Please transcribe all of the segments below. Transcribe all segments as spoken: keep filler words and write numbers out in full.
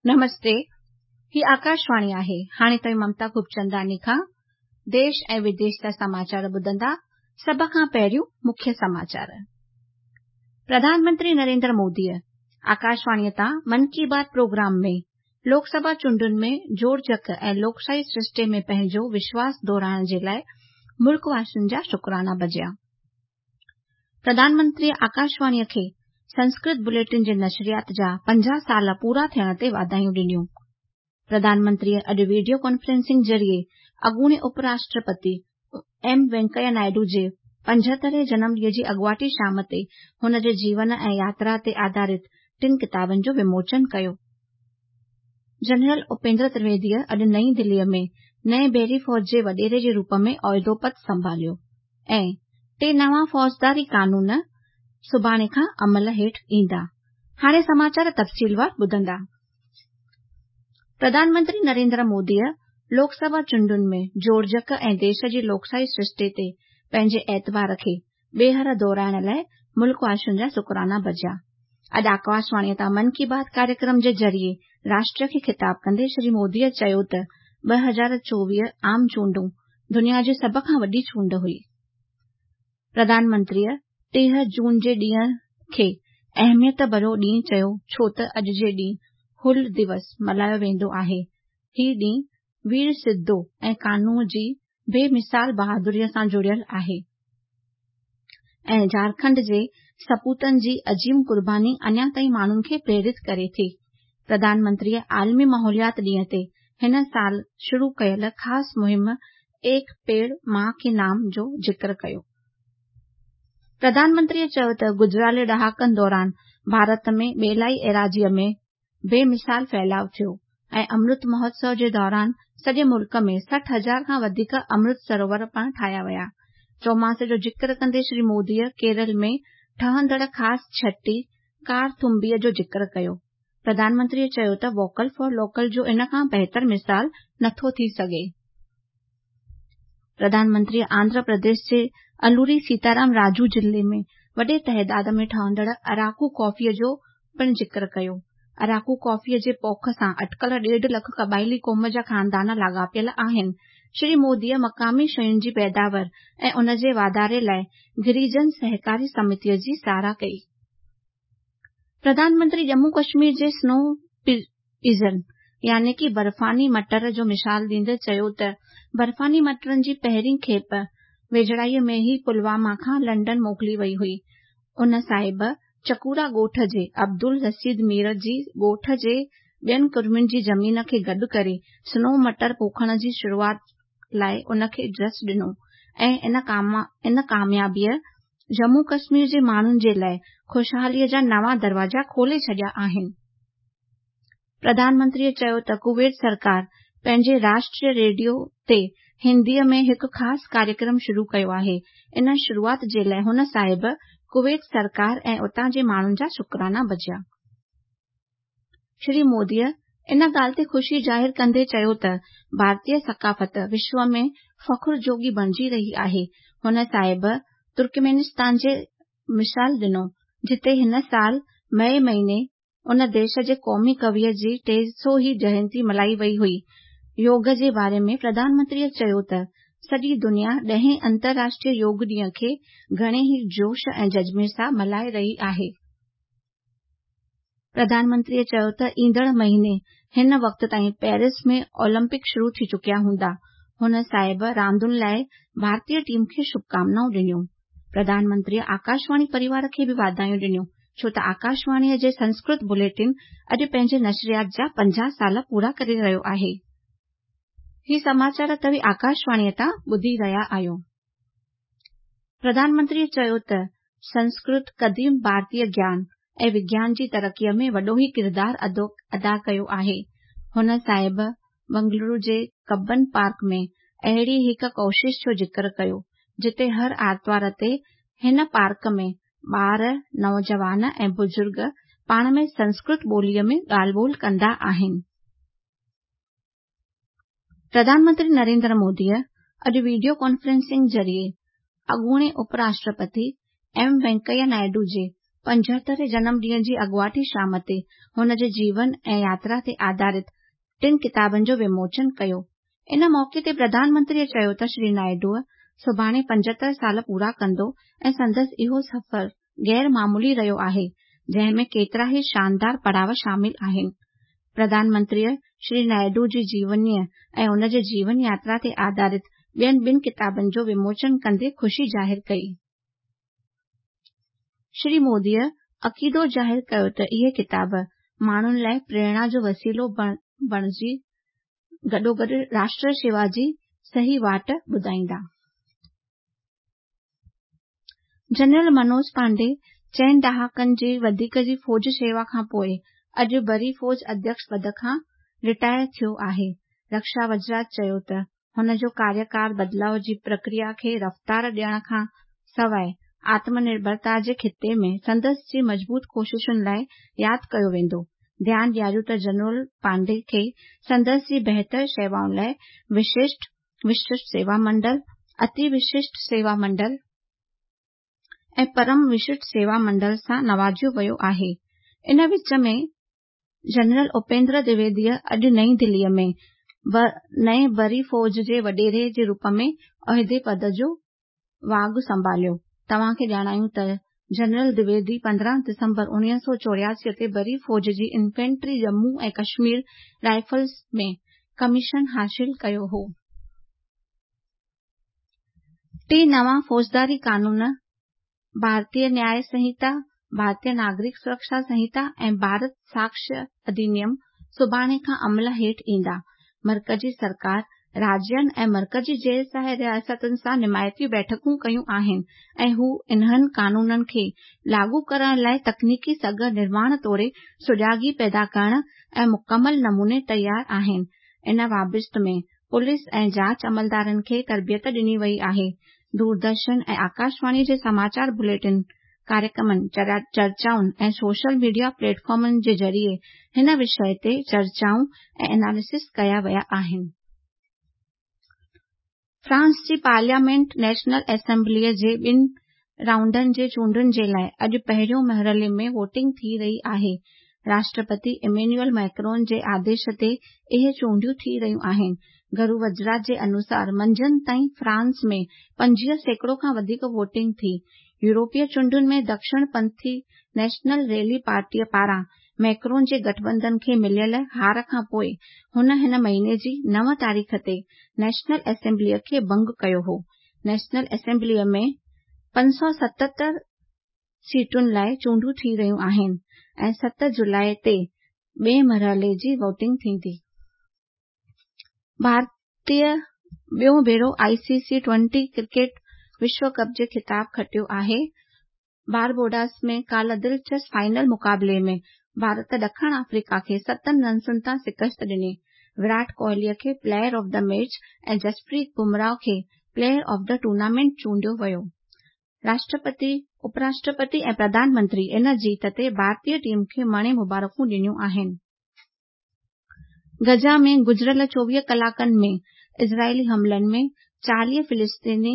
नमस्ते, ही आकाशवाणी आहे। हाणे तव्हीं ममता खूबचंदानी खां देश ऐं विदेश जा समाचार ॿुधंदा। सभ खां पहिरियों मुख्य समाचार। प्रधानमंत्री नरेंद्र मोदीअ आकाशवाणीअ तां मन की बात प्रोग्राम में लोकसभा चूंडुनि में जोड़जक ऐं लोकशाही सृष्टे में पंहिंजो विश्वास दोहराइण जे लाइ मुल्क वासियुनि जा शुक्राना बजाया। प्रधानमंत्रीअ आकाशवाणीअ खे संस्कृत बुलेटिन जे नशरियात जा पंजाह साल पूरा थियण ते वाधायूं ॾिनियूं। प्रधानमंत्रीअ अॼु वीडियो कॉन्फ्रेंसिंग ज़रिए अॻूणे उपराष्ट्रपति एम वेंकैया नायडू जे पंजहतरहें जनम ॾींहं जी अॻुवाटी शाम ते हुन जे जीवन ऐं यात्रा ते आधारित टिनि किताबनि जो विमोचन कयो। जनरल उपेंद्र त्रिवेदीअ अॼु नई दिल्लीअ में नए बहरी फ़ौज जे वॾेरे जे रूप में ओहदो पद संभालियो ऐं टे नवां फ़ौजदारी कानून सुभाणे खां अमल हेठि ईंदा। हाणे समाचार तफ़सीलवार ॿुधंदा। प्रधानमंत्री नरेंद्र मोदीअ लोकसभा चूंडुनि में जोड़जक ऐं देश जी लोकशाही सृष्टे ते पंहिंजे एतबार खे ॿीहर दोहराइण लाइ मुल्क वासियुनि जा शुक्राना बजाया। अॼु आकाशवाणीअ तां मन की बात कार्यक्रम जे ज़रिए राष्ट्र खे ख़िताब कंदे श्री मोदीअ चयो त ॿ हज़ार चोवीह आम चूंडूं दुनिया जी सभ खां वॾी चूंड हुई। प्रधानमंत्रीअ टीह जून जे ॾींहं खे अहमियत भरियो ॾींहुं चयो छो त अॼु जे ॾींहुं हुल दिवस मल्हायो वेंदो आहे। ही ॾींहुं वीर सिद्धो ऐं कानू जी बेमिसाल बहादुरीअ सां जुड़ियल आहे ऐं झारखंड जे सपूतनि जी अज़ीम क़ुर्बानी अञा ताईं माण्हुनि खे प्रेरित करे थी। प्रधानमंत्रीअ आलमी माहौलियात ॾींहं ते हिन साल शुरू कयल ख़ासि मुहिम एक पेड़ मां के नाम जो ज़िक्र कयो। प्रधानमंत्रीअ चयो त गुज़िरियल ॾहाकनि दौरान भारत में ॿेलाई एराज़ीअ में बेमिसाल फैलाव थियो ऐं अमृत महोत्सव जे दौरान सॼे मुल्क में सठि हज़ार खां वधीक अमृत सरोवर पणु ठाहिया विया। चौमासे जो ज़िक्र कंदे श्री मोदीअ केरल में ठहंदड़ ख़ासि छटी कारथुंबीअ जो ज़िक्र कयो। प्रधानमंत्रीअ चयो त वोकल फॉर लोकल जो इन खां बहितर मिसाल नथो थी सघे। प्रधानमंत्रीअ आंध्र प्रदेश जे अलूरी सीताराम राजू ज़िले में वॾे तइदाद में ठहंदड़ अराकू कॉफ़ीअ जो पिणु ज़िक्र कयो। अराकू कॉफ़ीअ जे पोख सां अटकल ॾेढ लख क़बाइली क़ौम जा ख़ानदान लाॻापियल आहिनि। श्री मोदीअ मक़ामी शयुनि जी पैदावार ऐं उन जे वाधारे लाइ गिरिजन सहकारी समितीअ जी सराह कई। प्रधानमंत्री जम्मू कश्मीर जे स्नो पीज़न यानी कि बर्फ़ानी मटर जो मिसाल ॾींदे चयो त बर्फ़ानी मटरनि जी पहिरीं खेप वेझड़ाईअ में ई पुलवामा खां लंडन मोकिली वई हुई। उन साहिब चकूरा ॻोठ जे अब्दुल रशीद मीर जी ॻोठ जे ॿियनि कुर्मियुनि जी ज़मीन खे गॾु करे स्नो मटर पोखण जी शुरूआत लाइ उनखे जस ॾिनो ऐं इन कामयाबीअ जम्मू कश्मीर जे माण्हुनि जे लाइ ख़ुशहालीअ जा नवां दरवाज़ा खोले छॾिया आहिनि। प्रधानमंत्रीअ चयो त कुवैत सरकार पंहिंजे राष्ट्रीय रेडियो ते हिंदीअ में हिकु ख़ासि कार्यक्रम शुरू कयो आहे। इन शुरूआत जे लाइ हुन साहिब कुवैत सरकार ऐं उतां जे माण्हुनि जा शुक्राना बजाया। श्री मोदीअ इन ॻाल्हि ते ख़ुशी ज़ाहिर कंदे चयो त भारतीय सकाफ़त विश्व में फ़ख्र जोॻी बणिजी रही आहे। हुन साहिब तुर्कमेनिस्तान जे मिसाल ॾिनो जिते हिन साल मई महीने उन देश जे क़ौमी कविअ जी टे सौ हीं जयंती मल्हाई वई हुई। योग जे बारे में प्रधानमंत्रीअ चयो त सॼी दुनिया ॾहें अंतर्राष्ट्रीय योग ॾींहं खे घणे ई जोश ऐं जज़्बे सां मल्हाए रही आहे। प्रधानमंत्रीअ चयो त ईंदड़ महीने हिन वक़्त ताईं पेरिस में ओलंपिक शुरू थी चुकिया हूंदा। हुन साहिब रांदुनि लाइ भारतीय टीम खे शुभकामनाऊं ॾिनियूं। प्रधानमंत्रीअ आकाशवाणी परिवार खे बि वाधायूं ॾिनियूं छो त आकाशवाणीअ जे संस्कृत बुलेटिन अॼु पंहिंजे नशरियात जा पंजाह साल पूरा करे रहियो आहे। ही समाचार तव्हीं आकाशवाणीअ तां ॿुधी रहिया आहियो। प्रधानमंत्रीअ चयो त संस्कृत क़दीम भारतीय ज्ञान ऐं विज्ञान जी तरक़ीअ में वॾो ई किरदारु अदा कयो आहे। हुन साहिब बंगलुरु जे कब्बन पार्क में अहिड़ी हिकु कोशिश जो ज़िक्र कयो जिते हर आरतवार ते हिन पार्क में ॿार, नौजवान ऐं बुज़ुर्ग पाण में संस्कृत ॿोलीअ में ॻाल्हि ॿोल कंदा आहिनि। प्रधानमंत्री नरेंद्र मोदीअ अॼु वीडियो कॉन्फ्रेंसिंग ज़रिए अॻूणे उपराष्ट्रपति एम वेंकैया नायडू जे پنجهترهين جنم ڏينهن جي اڳواٽي شام تي هن جي جيون ۽ ياترا تي آڌارت ٽن ڪتابن جو وموچن ڪيو. ان موقعي تي پرڌان منتريء چيو ته شري نائيڊو سڀاڻي پنجهتر سال پورا ڪندو ۽ سندس اهو سفر غير معمولي رهيو آهي، جنهن ۾ ڪيترا ئي شاندار پڙاءُ شامل آهن. پرڌان منتريء شري نائيڊو جي جيونيء ۽ ان جي جيون ياترا تي آڌارت ٻين ٻن ڪتابن جو وموچن ڪندي خوشي ظاهر ڪئي. شري موديء عقيدو ظاهر ڪيو ته اهي ڪتاب ماڻهن لاءِ پريرڻا جو وسيلو بڻجي گڏوگڏ راشٽر شيوا جي صحيح واٽ ٻڌائيندا. جنرل منوج پانڊي چئن ڏهاڪن جي وڌيڪ جي فوج شيوا کان پوءِ اڄ بري فوج اڌيڪش پد کان رٽائر ٿيو آهي. رڪشا وزارت چيو ته هن جو ڪاريڪال بدلاءُ جي پرڪريا کي رفتار ڏيڻ کان سواءِ آتم نرڀرتا جي خطي ۾ سندس جي مضبوط ڪوششن لاءِ ياد ڪيو ويندو. ڌيان ڏياريو ته جنرل پانڊي کي سندس جي بهتر شيوائن لاءِ وششٽ وششٽ سيوا منڊل، اتي وششٽ سيوا منڊل ۽ پرم وششٽ سيوا منڊل سان نوازيو ويو آهي. ان وچ ۾ جنرل اپيندر دويديء اڄ نئين دليءَ ۾ نئين بري فوج جي وڏيري جي روپ ۾ عهدي پد جو واڳ سنڀاليو. توهان کي ڄاڻايون ته جنرل دويدي پندرهن ڊسمبر اڻويهه سؤ چوراسي تي بري فوج جي infantry Jammu ۽ Kashmir rifles ۾ commission حاصل ڪيو هو. ٽي نوان فوجداري قانون ڀارتيه نياءِ سنهتا، ڀارتيه ناگرڪ سرڪشا سنهتا ۽ ڀارت ساڪشيه اڌنيم سڀاڻي کان عمل هيٺ ايندا. مرڪزي سرڪار راجين ۽ مرڪزي زير سايه رياستن سان نمائتي بيٺڪون ڪيون آهن ۽ هو انهن قانونن کي لاڳو ڪرڻ لاءِ تڪنيڪي سگهه نرماڻ توڙي سجاڳي پيدا ڪرڻ ۽ مڪمل نموني تيار آهن. ان بابت ۾ پوليس ۽ جاچ عملدارن کي تربيت ڏني وئي آهي. دوردرشن ۽ آڪاشواڻي جي سماچار بليٽن، ڪاريڪرمن، چرچائن ۽ سوشل ميڊيا پليٽ فارمن جي ذريعي هن وشيه تي چرچائون ۽ اينالسس ڪيا ويا آهن. فرانس جي پارليامينٽ نيشنل اسيمبليءَ جي ٻن رائونڊن جي چونڊن جي لاءِ اڄ پهريون مرحلي ۾ ووٽنگ ٿي رهي آهي. راشٽرپتي ايمينيوئل ميڪرون جي آديش تي اهي چونڊيون ٿي رهيون آهن. گهرو وزارت جي انوسار منجهند تائين فرانس ۾ پنجويهه سيڪڙو کان وڌيڪ ووٽنگ ٿي. يورپي چونڊن ۾ دڪشڻ پنٿي نيشنل ريلي پارٽيءَ پاران ميڪرون جي گٺبنڌن کي مليل هار کان پوءِ هن هن مهيني جي نو تاريخ تي نيشنل اسيمبليءَ کي ڀنگ ڪيو هو. نيشنل اسيمبليءَ ۾ پنج سؤ ستهتر سيٽن لاءِ چونڊون ٿي رهيون آهن ۽ ست جولاءِ تي ٻئي مرحلي جي ووٽنگ ٿيندي. ڀارتيه ٻيون ڀيرو I C C twenty cricket وشو ڪپ جي خطاب کٽيو آهي. بارباڊوس ۾ ڪالهه دلچسپ فائنل مقابلي ۾ ڀارت ڏکڻ آفريڪا کي ستن رنسن تان شڪست ڏني. ويرات ڪوهليءَ کي player of the match ۽ Jasprit Bumrah کي پليئر آف the tournament چونڊيو ويو. راشٽرپتي، اپراشٽرپتي ۽ پرڌان منتري ان جيت تي ڀارتيه ٽيم کي مڻي مبارڪون ڏنيون آهن. غزه ۾ گذريل چوويهه ڪلاڪن ۾ اسرائيلي حملن ۾ چاليهه فلسطيني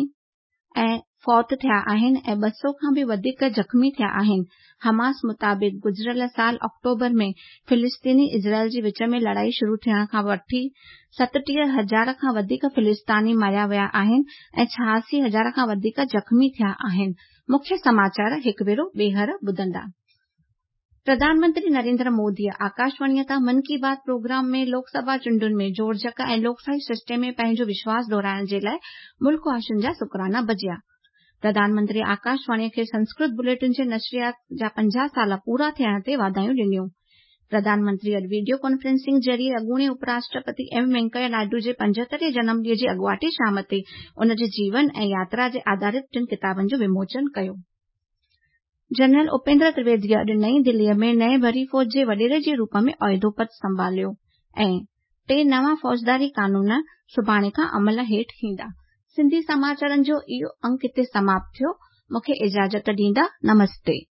۽ فوت ٿيا آهن ۽ ٻه سؤ کان به وڌيڪ زخمي ٿيا آهن. حماس مطابق گذريل سال آڪٽوبر ۾ فلسطيني اسرائيل جي وچ ۾ لڙائي شروع ٿيڻ کان وٺي ستٽيهه هزار کان وڌيڪ فلسطيني ماريا ويا آهن ۽ ڇهاسي هزار کان وڌيڪ زخمي ٿيا آهن. مکيه سماچار هڪ ڀيرو ٻيهر ٻڌندا. پرڌان منتري نريندر موديءَ آڪاشواڻيءَ تان من ڪي بات پروگرام ۾ لوڪ سڀا چونڊن ۾ جوڙجڪ ۽ لوڪشاهي سرشتي ۾ پنهنجو وشواس دهرائڻ جي لاءِ ملڪ واسين جا شڪرانا بجيا. پرڌان منتري آڪاشواڻيءَ کي سنسڪرت بليٽن جي نشريات جا پنجاهه سال پورا ٿيڻ تي واڌايون ڏنيون. پرڌان منتري اڄ وڊيو ڪانفرنسنگ ذريعي اڳوڻي اپراشٽرپتي ايم وينڪيا نائيڊو جي پنجهترهين جنم ڏينهن جي اڳواٽي شام تي ان جي جيون ۽ ياترا جي آڌارت ٽن ڪتابن جو وموچن ڪيو. جنرل اپيندر ترويديءَ اڄ نئين دليءَ ۾ نئين بري فوج جي وڏيري جي روپ ۾ عهدو پد سنڀاليو ۽ ٽي نوان فوجداري قانون سڀاڻي کان عمل هيٺ ايندا. سنڌي سماچارن جو اهو انڪ هتي سماپت ٿيو. مون کي اجازت ڏيندا. نمستي.